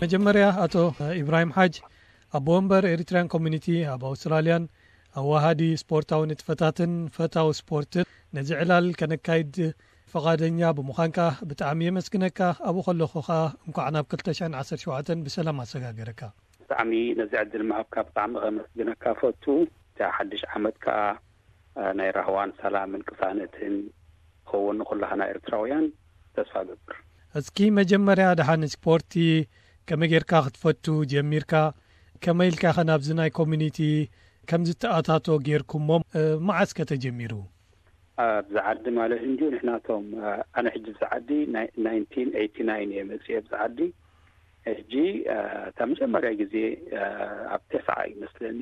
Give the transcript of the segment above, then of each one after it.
መጀመርያ ኣቶ ኢብራሂም ሓጅ፣ ኣቦ ወንበር ኤሪትራያን ኮሚኒቲ ኣብ ኣውስትራልያን ኣዋሃዲ ስፖርታዊ ንጥፈታትን ፈታዊ ስፖርትን፣ ነዚ ዕላል ከነካይድ ፈቓደኛ ብምዃንካ ብጣዕሚ የመስግነካ። ኣብኡ ከለኹ ኸኣ እንኳዕ ናብ ክልተ ሽሕን ዓሰርተ ሸውዓተን ብሰላም ኣሰጋገረካ። ብጣዕሚ ነዚ ዕድል ምሃብካ ብጣዕሚ ከመስግነካ ፈቱ። እቲ ሓድሽ ዓመት ከኣ ናይ ራህዋን ሰላምን ቅሳነትን ክኸውን ንኹላህና ኤርትራውያን ተስፋ ገብር። እስኪ መጀመርያ ደሓን ስፖርቲ ከመይ ጌርካ ክትፈቱ ጀሚርካ? ከመይ ኢልካ ኸ ናብዚ ናይ ኮሚኒቲ ከም ዝተኣታቶ ጌርኩሞ? እ፣ መዓስ ከ ተጀሚሩ? ኣብዚ ዓዲ ማለት እንድዩ ንሕናቶም፣ እ፣ ኣነ ሕጂ ኣብዚ ዓዲ ናይ-፣ ናይንቲን ኤይቲ ናይን እየ መጽእ ኣብዚ ዓዲ። ሕጂ፣ እ፣ እታ መጀመርያ ግዜ፣ እ፣ ኣብ ተስዓ ይመስለኒ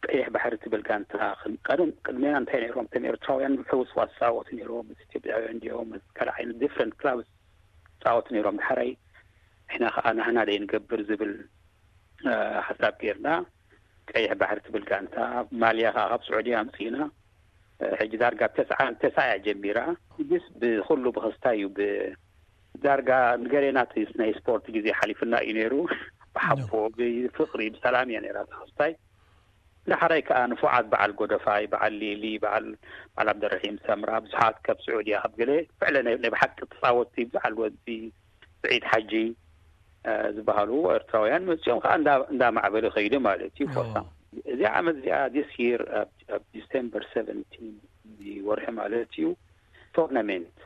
ቀይሕ ባሕሪ ትብል ጋንታ ክን-፣ ቀደም ቅድሜና እንታይ ነይሮም? እቶም ኤርትራውያን ሕውስዋስ ዝጻወቱ ነይሮም፣ ምስ ኢትዮጵያውያን እንዲኦም፣ ምስ ካልእ ዓይነት ዲፍረንት ክላብስ ዝጻወቱ ነይሮም። ድሓራይ ንሕና ከኣ ናህና ደይ ንገብር ዝብል፣ እ፣ ሓሳብ ጌርና። ቀይሕ ባሕሪ ትብል ጋንታ፣ ማልያ ከኣ ካብ ስዑድያ ኣምጺእና። እ፣ ሕጂ ዳርጋ ተስዓ፣ ተስዓ እያ ጀሚራ። ሕጅስ ብኹሉ ብኽስታይ እዩ። ብ-፣ ዳርጋ ንገሌና እቲ ናይ ስፖርት ግዜ ሓሊፍና እዩ ነይሩ። ብሓቦ፣ ብፍቕሪ፣ ብሰላም እያ ነይራ እቲ ክስታይ። ዳሕራይ ከኣ ንፉዓት በዓል ጎደፋይ፣ በዓል ሊሊ፣ በዓል፣ በዓል ዓብደረሒም ሰምራ፣ ብዙሓት ካብ ስዑድያ፣ ካብ ገለ ፍዕለ ናይ፣ ናይ ብሓቂ ተጻወትቲ፣ በዓል ወዲ ስዒድ ሓጂ፣ እ፣ ዝበሃሉ ኤርትራውያን መጺኦም ከኣ እንዳ-፣ እንዳማዕበለ ከይዱ ማለት እዩ። ፎርሳ እዚኣ ዓመት እዚኣ፣ this year፣ ኣብ፣ ኣብ ዲሴምበር ሰቨንቲን፣ እዚ ወርሒ ማለት እዩ፣ ቶርናሜንት።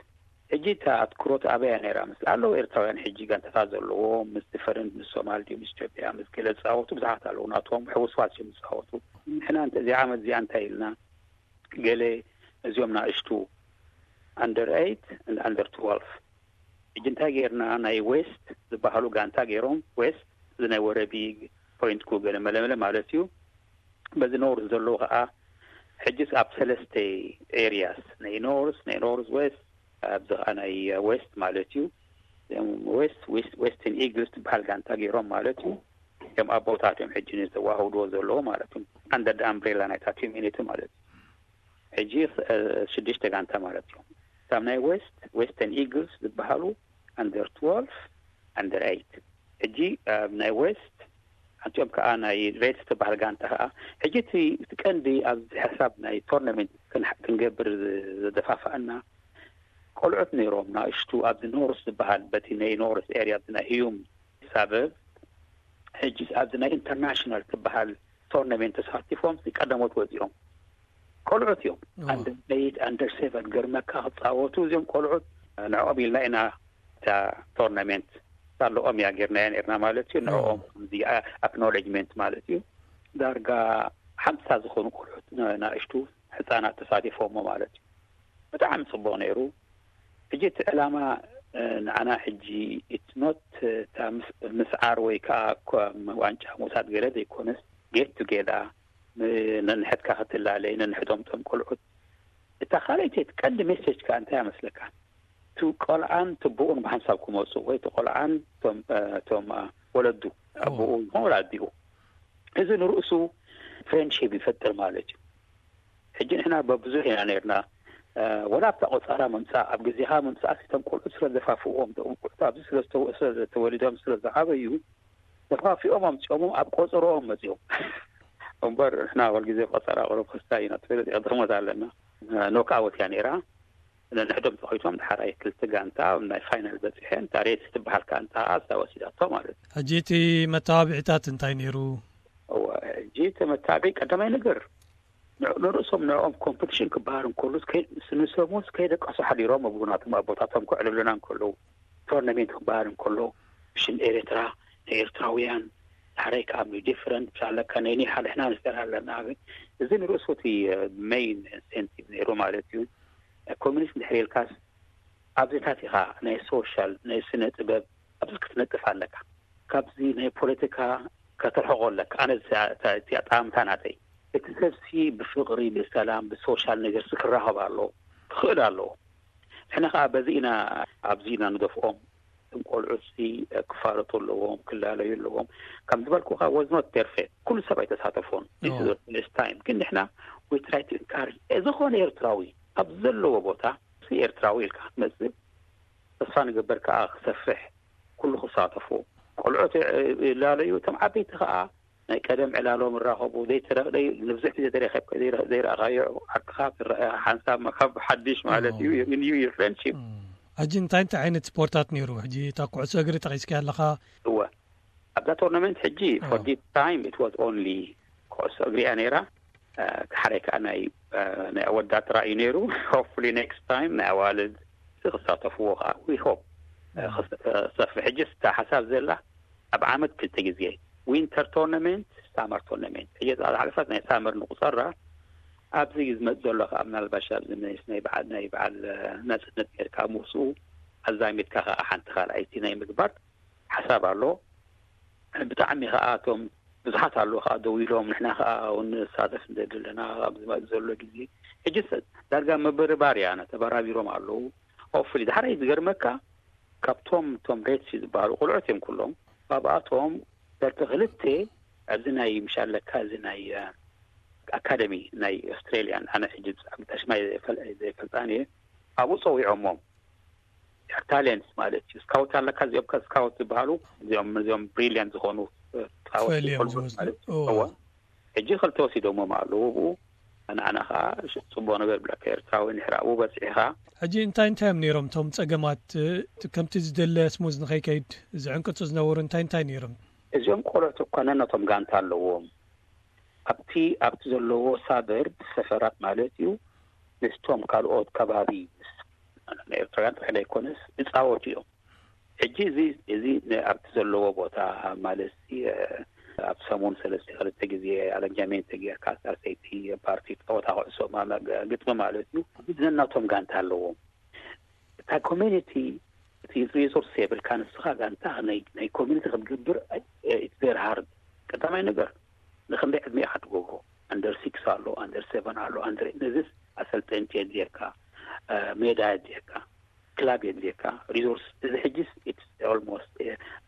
ሕጂ እታ ኣትኩሮት ኣበያ ነይራ? ምስ ኣለዉ ኤርትራውያን ሕጂ ጋንታታት ዘለዎም፣ ምስ ፈረንጅ፣ ምስ ሶማል ድዩ፣ ምስ ኢትዮጵያ፣ ምስ ገለ ዝጻወቱ ብዙሓት ኣለዉ። ናቶም ሕውስዋስ እዮም ዝጻወቱ። ንሕና እንተ-፣ እዚ ዓመት እዚኣ እንታይ ኢልና? ገለ እዚኦም ናእሽቱ፣ ኣንደር ኤይት፣ ኣንደር ትወልፍ። ሕጂ እንታይ ጌርና? ናይ ዌስት ዝበሃሉ ጋንታ ገይሮም፣ ዌስት፣ እዚ ናይ ወረቢ፣ ፖይንት ኩ፣ ገለ መለመለ ማለት እዩ። በዚ ኖርዝ ዘለዉ ኸኣ፣ ሕጂስ ኣብ ሰለስተ ኤርያስ፣ ናይ ኖርዝ፣ ናይ ኖርዝ ዌስት፣ ኣብዚ ኸኣ ናይ ዌስት ማለት እዩ። እዚኦም ዌስት፣ ዌስት፣ ዌስተርን ኢግልስ ትበሃል ጋንታ ገይሮም ማለት እዩ። እዚኦም ኣቦታት እዮም ሕጂ ንዘዋህድዎ ዘለዉ ማለት እዩ። ኣንደር ኣምብሬላ ናይታ ኮሚኒቲ ማለት እዩ። ሕጂ፣ እ፣ ሽዱሽተ ጋንታ ማለት እዮም። ካብ ናይ ዌስት፣ ዌስተርን ኢግልስ ዝበሃሉ ኣንደር ትወልፍ፣ ኣንደር ኤይት። ሕጂ ኣብ ናይ ዌስት፣ ሓንቲኦም ከኣ ናይ ሬድስ ትበሃል ጋንታ ከኣ። ሕጂ እቲ፣ እቲ ቀንዲ ኣብዚ ሓሳብ ናይ ቶርናሜንት ክን-፣ ክንገብር ዝ-፣ ዘደፋፍኣና፣ ቆልዑት ነይሮም ናእሽቱ ኣብዚ ኖርስ ዝበሃል፣ በቲ ናይ ኖርስ ኤርያ፣ ኣብዚ ናይ ህዩም ሳበብ፣ ሕጂ ኣብዚ ናይ ኢንተርናሽናል ትበሃል ቶርናሜንት ተሳቲፎም፣ እዚ ቀደሞት ወጺኦም። ቆልዑት እዮም። ኣንደር ኤይት፣ ኣንደር ሴቨን፣ ገርመካ ክጻወቱ እዚኦም ቆልዑት። ንዕኦም ኢልና ኢና እታ ቶርናሜንት ሳለኦም እያ ጌርናያ ነርና ማለት እዩ። ንዕኦም ከምዚ ኣክኖሌጅመንት ማለት እዩ። ዳርጋ ሓምሳ ዝኾኑ ቆልዑት ን-፣ ናእሽቱ ሕጻናት ተሳቲፎሞ ማለት እዩ። ብጣዕሚ ጽቡቕ ነይሩ። ሕጂ እቲ ዕላማ፣ እ፣ ንዓና ሕጂ it's not፣ እ፣ እታ ምስ-፣ ምስዓር ወይ ከኣ ኮ-፣ ዋንጫ ምውሳድ ገለ ዘይኮነስ፣ ጌት ቱጌዳ፣ ም-፣ ነንሕድካ ክትላለይ፣ ነንሕዶም እቶም ቆልዑት። እታ ካልኣይቲ፣ እቲ ቀንዲ ሜሴጅ ከኣ እንታይ እያ መስለካ? እቲ ቆልዓን እቲ ብኡን ብሓንሳብ ክመጹ፣ ወይ እቲ ቆልዓን እቶም፣ እ፣ እቶም፣ እ፣ ወለዱ፣ ኦ። ብኡ ይኹን ወላ ኣዲኡ። እዚ ንርእሱ ፍሬንድሺፕ ይፈጥር ማለት እዩ። ሕጂ ንሕና በብዙሕ ኢና ነርና፣ እ፣ ወላ ኣብታ ቆጸራ ምምጻእ፣ ኣብ ግዜኻ ምምጻእ፣ እቶም ቆልዑት ስለ ዘፋፍዎም፣ እቶም ቆልዑት ኣብዚ ስለ ዝተወ-፣ ስለ ዝተወሊዶም፣ ስለ ዝዓበዩ፣ ተፋፊኦም ኣምጺኦሞም ኣብ ቆጸሮኦም መጺኦም። እምበር ንሕና ኩል ግዜ ቆጸራ ቁሩብ ክስታይ ኢና፣ ትፈልጥ ኢኻ፣ ድኽመት ኣለና። እ፣ ኖክኣውት እያ ነይራ። ነንሕዶም ተኾይቶም፣ ድሓራይ ክልተ ጋንታ ኣብ ናይ ፋይናል በጺሐን፣ እታ ሬድስ ትበሃል ጋንታ እሳ ወሲዳቶ ማለት እዩ። ሕጂ እቲ መተባብዒታት እንታይ ነይሩ? እወ፣ ሕጂ እቲ መተባብዒ ቀዳማይ ነገር፣ ን-፣ ንርእሶም ንዕኦም ኮምፒቲሽን ክበሃል እንከሎ፣ እስከ-፣ ንሶምስ ከይደቀሱ ሓዲሮም፣ ኣብኡ ናቶም ኣቦታቶም ከዕልሉና እንከለዉ፣ ቶርናሜንት ክበሃል እንከሎ፣ ሽም ኤርትራ፣ ናይ ኤርትራውያን፣ ድሓራይ ከኣ ዲፍረንት ኣለካ፣ ናይ ኒሕ ሓድሕና ንስደር ኣለና። እዚ ንርእሱ እቲ ሜይን ኢንሴንቲቭ ነይሩ ማለት እዩ። ኮሚኒስት እንድሕር ኢልካስ፣ ኣብዚታት ኢኻ ናይ ሶሻል፣ ናይ ስነ ጥበብ፣ ኣብዚ ክትነጥፍ ኣለካ። ካብዚ ናይ ፖለቲካ ከተርሕቆ ኣለካ። ኣነ እዚኣ፣ እታ፣ እቲኣ ጠማምታ ናተይ። እቲ ሰብሲ ብፍቕሪ፣ ብሰላም፣ ብሶሻል ነገርሲ ክራኸብ ኣለዎ፣ ክኽእል ኣለዎ። ንሕና ኸኣ በዚ ኢና፣ ኣብዚ ኢና ንደፍኦም። እቶም ቆልዑትሲ ክፋለጡ ኣለዎም፣ ክላለዩ ኣለዎም። ከም ዝበልኩኻ፣ was not perfect። ኩሉ ሰብ ኣይተሳተፎን። This is the first time። ግን ንሕና we try to encourage። ዝኾነ ኤርትራዊ ኣብ ዘለዎ ቦታ፣ እዚ ኤርትራዊ ኢልካ ክትመጽእ፣ ተስፋ ንገብር ከኣ ክሰፍሕ፣ ኩሉ ክሳተፎ፣ ቆልዑት ይላለዩ፣ እቶም ዓበይቲ ከዓ ናይ ቀደም ዕላሎም ይራኸቡ። ዘይተረ-፣ ዘይ-፣ ንብዙሕ ግዜ ዘይረኸብካ-፣ ዘይረ-፣ ዘይረኣኻዮ ዓርክኻ ትረአ፣ ሓንሳብ ካብ ሓድሽ ማለት እዩ፣ you renew your friendship። ሕጂ እንታይ እንታይ ዓይነት ስፖርታት ነይሩ? ሕጂ እታ ኩዕሶ እግሪ ጠቒስካ ኣለኻ። እወ፣ ኣብዛ ቶርናመንት ሕጂ፣ for this time, it was only ኩዕሶ እግሪ እያ ነይራ። ሓደ ከዓ ናይ ናይ ኣወዳት ራእዩ ነይሩ። Hopefully next time ናይ ኣዋልድ ክሳተፍዎ ከዓ we hope ክሰፍሕ። ሕጂ ስታ ሓሳብ ዘላ ኣብ ዓመት ክልተ ግዜ፣ ዊንተር ቶርናመንት፣ ሳመር ቶርናመንት። ሕጂ ዝሓለፈት ናይ ሳመር ንቁፀራ፣ ኣብዚ ዝመፅ ዘሎ ከዓ ምናልባሽ ኣብዚ ናይ በዓል ናይ በዓል ናፅነት ጌርካ ምስኡ ኣዛሚድካ ከዓ ሓንቲ ካልኣይቲ ናይ ምግባር ሓሳብ ኣሎ። ብጣዕሚ ከዓ እቶም ብዙሓት ኣለዉ ከዓ ደው ኢሎም፣ ንሕና ከዓ እውን ንሳተፍ እንደ ዘለና ኣብ ዝመፅእ ዘሎ ግዜ። ሕጂ ዳርጋ ምብርባር እያ፣ ተበራቢሮም ኣለዉ። Hopefully፣ ዳሕራይ ዝገርመካ፣ ካብቶም እቶም ሬትሲ ዝበሃሉ ቆልዑት እዮም ኩሎም። ካብኣቶም ዳርጋ ክልተ ኣብዚ ናይ ምሻለካ እዚ ናይ ኣካደሚ ናይ ኣውስትራሊያን፣ ኣነ ሕጂ ብጣዕሚ ሽማይ ዘይፈልጣን እየ፣ ኣብኡ ፀዊዖሞም። ታሌንትስ ማለት እዩ። ስካውት ኣለካ፣ እዚኦም ከ ስካውት ዝበሃሉ፣ እዚኦም እዚኦም ብሪሊያንት ዝኾኑ ስካውት ማለት እዩ። ሕጂ ክልተ ወሲዶሞም ኣለዉ ብኡ። ኣነ ኣነ ከዓ ጽቡቅ ነገር ብለካ፣ ኤርትራዊ ንሕራቡ በጺሕኻ። ሕጂ እንታይ እንታይ እዮም ነይሮም እቶም ጸገማት? ከምቲ ዝደለ ስሙዝ ንኸይከይድ ዝዕንቅጹ ዝነበሩ እንታይ እንታይ ነይሮም? እዚኦም ቆልዑት እኳ ነነቶም ጋንታ ኣለዎም። ኣብቲ ኣብቲ ዘለዎ ሳበርብ ሰፈራት ማለት እዩ፣ ምስቶም ካልኦት ከባቢ፣ ምስ ኤርትራውያን ጥራሕ ዘይኮነስ፣ ይጻወቱ እዮም። ሕጂ እዚ እዚ ኣብቲ ዘለዎ ቦታ ማለት፣ ኣብ ሰሙን ሰለስተ ክልተ ግዜ ኣረንጃሜንት ጌርካ፣ ሳሰይቲ ፓርቲ፣ ጸወታ ኩዕሶ፣ ግጥሚ ማለት እዩ። ነናቶም ጋንታ ኣለዎም። እታ ኮሚኒቲ፣ እቲ ሪሶርስ የብልካ፣ ንስኻ ጋንታ ናይ ኮሚኒቲ ክትገብር፣ it's very hard። ቀዳማይ ነገር፣ ንክንደይ ዕድመ ኢኻ ትገብሮ? ኣንደር ሲክስ ኣሎ፣ ኣንደር ሰቨን ኣሎ፣ ኣንደር፣ ነዚስ ኣሰልጠንቲ የድልየካ፣ ሜዳ የድልየካ፣ ክላብ የድልየካ፣ ሪሶርስ። እዚ ሕጂስ it's almost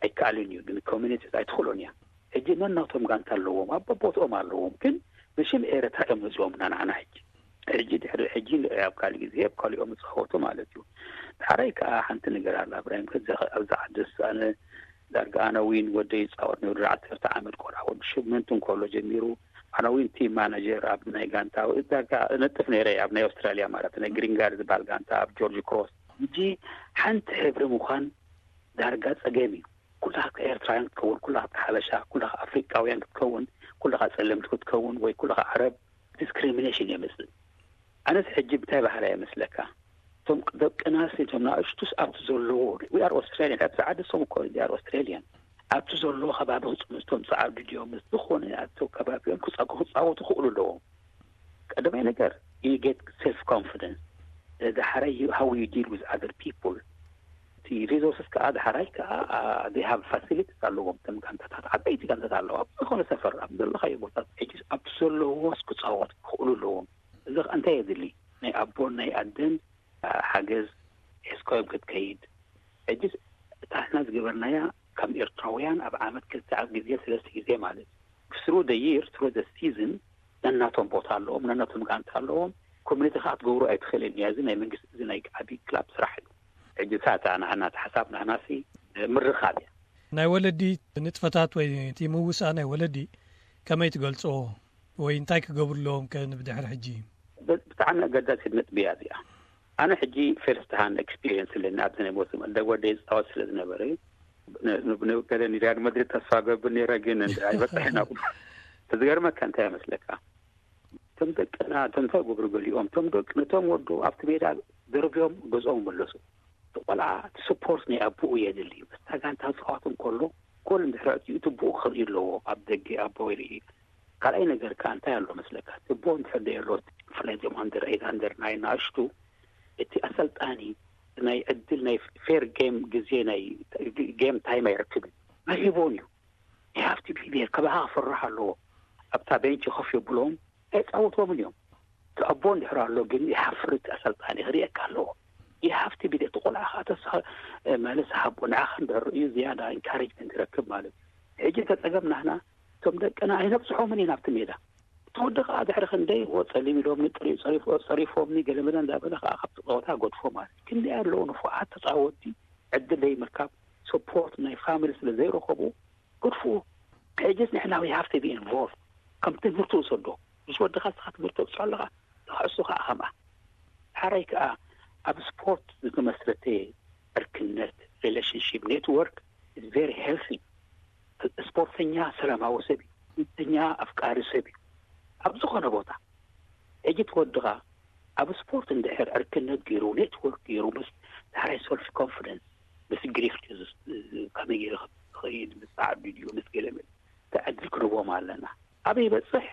ኣይከኣልን እዩ፣ ግን ኮሚኒቲ ኣይትኽእሎን እያ። ሕጂ ነናቶም ጋንታ ኣለዎም፣ ኣብ ቦትኦም ኣለዎም፣ ግን ብሽም ኤረትራ እዮም መፅኦም ናንዓና። ሕጂ ሕጂ ድሕሪ ሕጂ ኣብ ካልእ ግዜ ኣብ ካልኦም ይፃወቱ ማለት እዩ። ዳሕራይ ከዓ ሓንቲ ነገር ኣላ እብራሂም፣ ከዚ ኣብዚ ዓድስ ኣነ ዳርጋ ኣነ ዊን ወደይ ይፃወት ነይሩ፣ ዳርጋ ዓሰርተ ዓመት ቆልዓ ወዲ ሽምንት እንከሎ ጀሚሩ። ኣነ ዊን ቲም ማናጀር ኣብ ናይ ጋንታ ዳርጋ እነጥፍ ነይረ ኣብ ናይ ኣውስትራሊያ ማለት ናይ ግሪንጋርድ ዝበሃል ጋንታ ኣብ ጆርጅ ክሮስ። ሕጂ ሓንቲ ሕብሪ ምዃን ዳርጋ ፀገም እዩ። ኩላኻ ኤርትራውያን ክትከውን፣ ኩላኻ ሓበሻ፣ ኩላኻ ኣፍሪቃውያን ክትከውን፣ ኩላኻ ጸለምቲ ክትከውን ወይ ኩላኻ ዓረብ፣ ዲስክሪሚኔሽን የምጽእ። ኣነስ ሕጂ ብታይ ባህላ ይመስለካ? እቶም ደቅናስ እቶም ንኣሽቱስ ኣብቲ ዘለዎ፣ we are Australian፣ ኣብቲ ዓዲ ሰው እኮ they are Australian። ኣብቲ ዘለዎ ከባቢ ክጽምስቶም ጸዓዱ ድዮም ምስ ዝኾነ ኣብቲ ከባቢኦም ክጻ-፣ ክጻወቱ ክእሉ ኣለዎም። ቀዳማይ ነገር you get self confidence። ዳሕራይ you- how you deal with other people። እቲ ሪሶርስስ ከዓ ዳሕራይ ከዓ they have facilities ኣለዎም። እቶም ጋንታታት ዓበይቲ ጋንታታት ኣለዋ ኣብ ዝኾነ ሰፈር ኣብ ዘለኻዮ ቦታ ሕጂ ኣብቲ ዘለዎስ ክፃወት ክኽእሉ ኣለዎም። እዚ ከዓ እንታይ የድሊ? ናይ ኣቦን ናይ ኣደን ሓገዝ ሒዝካዮም ክትከይድ። ሕጂ እታ ንሕና ዝገበርናያ ከም ኤርትራውያን ኣብ ዓመት ክልተ ኣብ ግዜ ሰለስተ ግዜ ማለት through the year through the season ነናቶም ቦታ ኣለዎም፣ ነናቶም ጋንታ ኣለዎም። ኮሚኒቲ ከዓ ክትገብሩ ኣይትኽእልን እያ። እዚ ናይ መንግስቲ እዚ ናይ ዓብዪ ክላብ ስራሕ እዩ። ሕጂ እታ ናህና ሓሳብ ናህናሲ ምርኻብ እያ። ናይ ወለዲ ንጥፈታት ወይ እቲ ምውሳእ ናይ ወለዲ ከመይ ትገልፅዎ ወይ እንታይ ክገብሩ ኣለዎም ከ ንብድሕሪ ሕጂ? ብጣዕሚ ኣገዳሲት ነጥቢ እያ እዚኣ። ኣነ ሕጂ ፈርስት ሃንድ ኤክስፒሪየንስ ኣለኒ ኣብዚ ናይ ሞት መደብ ወደይ ዝፃወት ስለ ዝነበረ ገለ ሪያል መድሪድ ተስፋ ገብር ነይረ ግን ኣይበፅሕን ኣብኡ። ዝገርመካ እንታይ ይመስለካ? እቶም ደቅና እቶም እንታይ ገብሩ ገሊኦም እቶም ደቂ ነቶም ወዱ ኣብቲ ሜዳ ደርብዮም ገዝኦም መለሱ። እቲ ቆልዓ እቲ ስፖርት ናይ ኣቦኡ የድሊ። ምስታ ጋንታ ዝፃወት እንከሎ ጎል እንድሕር ኣእትዩ እቲ ብኡ ክርኢ ኣለዎ። ኣብ ደገ ኣቦ ይርኢ። ካልኣይ ነገር ከዓ እንታይ ኣሎ መስለካ? እቲ ኣቦ እንድሕር ደየሎ ብፍላይ እዚኦም ኣንደር ኤይት ኣንደር ናይን ንኣሽቱ እቲ ኣሰልጣኒ ናይ ዕድል ናይ ፌር ጌም ግዜ ናይ ጌም ታይም ኣይረክብን። ኣይህቦን እዩ። You have to be there። ከማኻ ክፈርሕ ኣለዎ። ኣብታ ቤንች ኮፍ የብሎም ኣይፃወትዎምን እዮም። እቲ ኣቦ እንድሕር ኣሎ ግን ይሓፍር እቲ ኣሰልጣኒ ክርእየካ ኣለዎ። You have to be there። እቲ ቆልዓ ከዓ ተስፋ ማለት ሃቦ ንዓኻ እንድሕር ርእዩ ዝያዳ ኢንካሬጅመንት ይረክብ ማለት እዩ። ሕጂ ተፀገም ናህና እቶም ደቅና ኣይነብፅሖምን ኢና ኣብቲ ሜዳ። እቲ ወዲ ከዓ ድሕሪ ክንደይ ዎ ፀሊም ኢሎምኒ ጸሪፎምኒ ገለመለ እንዳበለ ከዓ ካብቲ ፀወታ ገድፎ ማለት እዩ። ክንደይ ኣለዉ ንፉዓት ተፃወቲ ዕድል ዘይምርካብ support ናይ family ስለ ዘይረኸቡ፣ good for ሕጅስ ንሕና we have to be involved። ከም ትምህርቲ ውሰዶ። ምስ ወድኻ እስኻ ትምህርቲ ተብፅሖ ኣለኻ፣ ተኽዕሱ ከዓ ከምኣ። ሓራይ ከዓ ኣብ ስፖርት ዝተመስረተ ዕርክነት፣ relationship network is very healthy። ስፖርተኛ ሰላማዊ ሰብ እዩ። ስፖርተኛ ኣፍቃሪ ሰብ እዩ። ኣብ ዝኾነ ቦታ ሕጂ እቲ ወድኻ ኣብ ስፖርት እንድሕር ዕርክነት ገይሩ፣ network ገይሩ፣ ምስ ዳሕራይ self confidence፣ ምስ ግሪፍት እዩ ዝስ-፣ ከመይ ገይሩ ክኸይድ፣ ምስ ዓዱ ድዩ፣ ምስ ገለ መለ፣ እቲ ዕድል ክንህቦም ኣለና። ኣበይ ይበፅሕ፣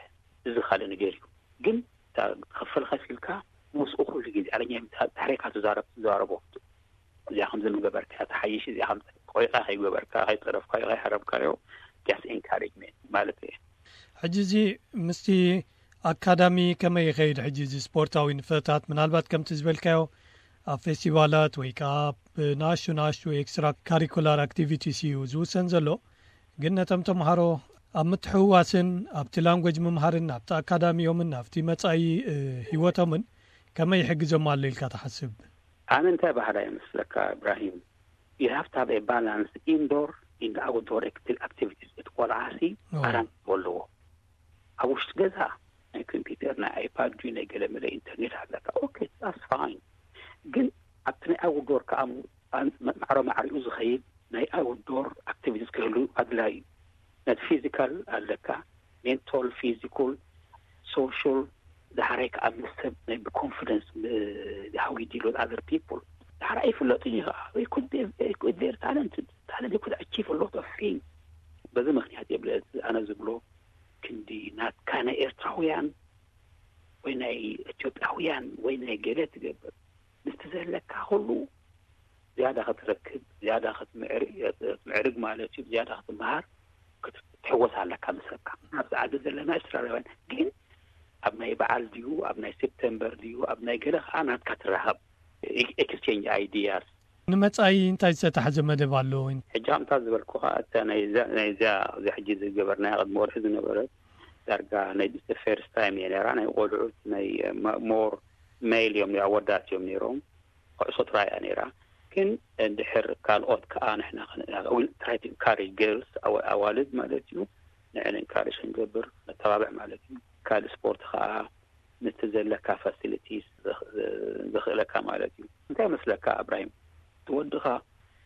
እዚ ካልእ ነገር እዩ። ግን እታ ትኸፈል ከፊልካ ምስኡ ኩሉ ግዜ ኣለኛ ዳሕሬካ ትዛረብ፣ ትዛረቦ። እዚኣ ከም ዝምገበርካ ተሓይሽ፣ እዚኣ ከም ቆይቃ ከይገበርካ፣ ከይፀረፍካዮ፣ ከይሓረምካዮ፣ just encouragement ማለት እዩ። ሕጂ እዚ ምስቲ ኣካዳሚ ከመይ ይኸይድ? ሕጂ እዚ ስፖርታዊ ንጥፈታት ምናልባት ከምቲ ዝበልካዮ ኣብ ፌስቲቫላት ወይ ከዓ ብንኣሽቱ ንኣሽቱ ኤክስትራ ካሪኩላር ኣክቲቪቲስ እዩ ዝውሰን ዘሎ። ግን ነቶም ተምሃሮ ኣብ ምትሕውዋስን ኣብቲ ላንጎጅ ምምሃርን ኣብቲ ኣካዳሚዮምን ኣብቲ መጻኢ፣ እ፣ ህይወቶምን ከመይ ይሕግዞም ኣሎ ኢልካ ትሓስብ? ኣነ እንታይ ባህላ ይመስለካ እብራሂም? You have to have a balance indoor and outdoor acti-, activities። እቲ ቆልዓ ሲ ኦ። ኣራን ኣለዎ። ኣብ ውሽጢ ገዛ ናይ ኮምፒውተር፣ ናይ ኣይፓድ ድዩ፣ ናይ ገለ መለ ኢንተርኔት ኣለካ። ኦኬ፣ that's fine። ግን ኣብቲ ናይ ኣውትዶር ከኣ ም-፣ ኣን-፣ መ-፣ ማዕረ ማዕሪኡ ዝኸይድ ናይ ኣውትዶር ኣክቲቪቲስ ክህሉ ኣድላዩ እዩ። ነቲ ፊዚካል ኣለካ፣ ሜንታል፣ ፊዚካል፣ ሶሻል፣ ዳሕራይ ከኣ ምስ ሰብ ናይ ብኮንፊደንስ ብ-፣ how you deal with other people ዳሕራይ ኣይፍለጥን እዩ ከኣ። They could be, they could, they're talented. Talent, they could achieve a lot of things። በዚ ምኽንያት የብለ ኣነ ዝብሎ ክንዲ ናትካ ናይ ኤርትራውያን ወይ ናይ ኢትዮጵያውያን ወይ ናይ ገለ ትገብር። ምስቲ ዘለካ ኩሉ ዝያዳ ክትረክብ፣ ዝያዳ ክትምዕር-፣ ክትምዕርግ ማለት እዩ፣ ዝያዳ ክትመሃር፣ ክትሕወስ ኣለካ ምስ ሰብካ። ኣብዚ ዓዲ ዘለና ኤርትራውያን ግን ኣብ ናይ በዓል ድዩ፣ ኣብ ናይ ሴፕተምበር ድዩ፣ ኣብ ናይ ገለ ከኣ ናትካ ትራኸብ፣ ኤክስቼንጅ ኣይዲያስ። ንመጻኢ እንታይ ዝተታሕዘ መደብ ኣሎ? ሕጂ ከምታ ዝበልኩኻ፣ እታ ናይ እዛ፣ ናይ እዛ፣ እዛ ሕጂ ዝገበርናያ ቅድሚ ወርሒ ዝነበረት ዳርጋ ናይ ፈርስት ታይም እየ ነራ። ናይ ቆልዑት ናይ ማ-፣ ሞር ሜል እዮም፣ ኣወዳት እዮም ነይሮም። ኩዕሶ ጥራይ እያ ነይራ። ግን እንድሕር ካልኦት ከኣ ንሕና ኸን-፣ we try to encourage girls፣ ኣዋ-፣ ኣዋልድ ማለት እዩ፣ ንዕን ኤንካሬጅ ክንገብር ነተባብዕ ማለት እዩ። ካልእ ስፖርት ከኣ ነቲ ዘለካ ፋሲሊቲስ ዘኽ-፣ ዘኽእለካ ማለት እዩ። እንታይ ይመስለካ እብራሂም? እቲ ወድኻ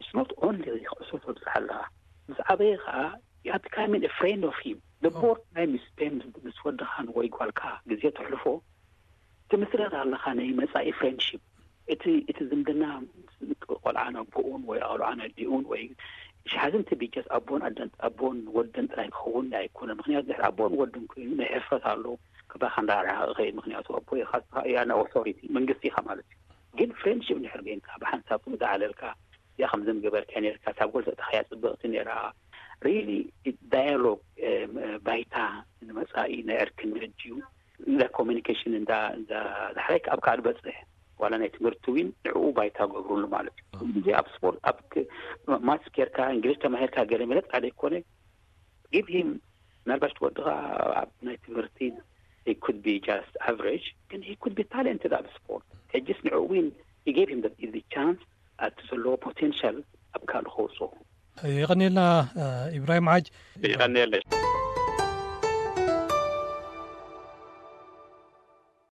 it's not only ኩዕሶ ተብጽሕ ኣለኻ። ምስ ዓበየ ከኣ you are becoming a friend of him። The more time you spend ምስ ወድኻን ወይ ጓልካ ግዜ ተሕልፎ፣ ትምስረት ኣለኻ ናይ መጻኢ ፍሬንድሺፕ። እቲ፣ እቲ ዝምድና ቆልዓ ነቦኡን ወይ ቆልዓ ነዲኡን ወይ ሽሓዝን ትቢጀስ ኣቦን ኣደን፣ ኣቦን ወደን ጥራይ ክኸውን ኣይኮነን። ምኽንያቱ ድሕሪ ኣቦን ወድን ኮይኑ ናይ ሕፍረት ኣሎ፣ ክባኻ እንዳረሓቐ ይኸይድ። ምኽንያቱ ኣቦ ኢኻ፣ ንስኻ እያ ናይ ኦቶሪቲ፣ መንግስቲ ኢኻ ማለት እዩ። ግን ፍሬንድሺፕ እንድሕር ኮይንካ፣ ብሓንሳብ ትውዳዓለልካ፣ እዚኣ ከምዚ ምገበርካ ነርካ፣ እታ ጎል ተእተኻያ ጽብቕቲ ነራ። ሪሊ ዳያሎግ፣ እ፣ ባይታ ንመጻኢ ናይ ዕርክነት ድዩ፣ እንዳ ኮሚኒኬሽን እንዳ፣ እንዳ ዳሕራይ ኣብ ካልእ በጽሕ፣ ዋላ ናይ ትምህርቲ ዊን ንዕኡ ባይታ ገብሩሉ ማለት እዩ። ኩሉ ግዜ ኣብ ስፖርት፣ ኣብ ክ-፣ ማትስ ጌርካ፣ እንግሊዝ ተማሂርካ፣ ገለ መለ ጥራይ ዘይኮነ፣ give him፣ ምናልባት ወድኻ ኣብ ናይ ትምህርቲ he could be just average፣ ግን he could be talented ኣብ ስፖርት። ሕጅስ ንዕኡ ዊን he gave him the, the chance፣ ኣብቲ ዘለዎ ፖቴንሻል ኣብ ካልእ ከውፅኦ። የቐንየልና፣ እ፣ ኢብራሂም ሓጅ። የቐንየለይ።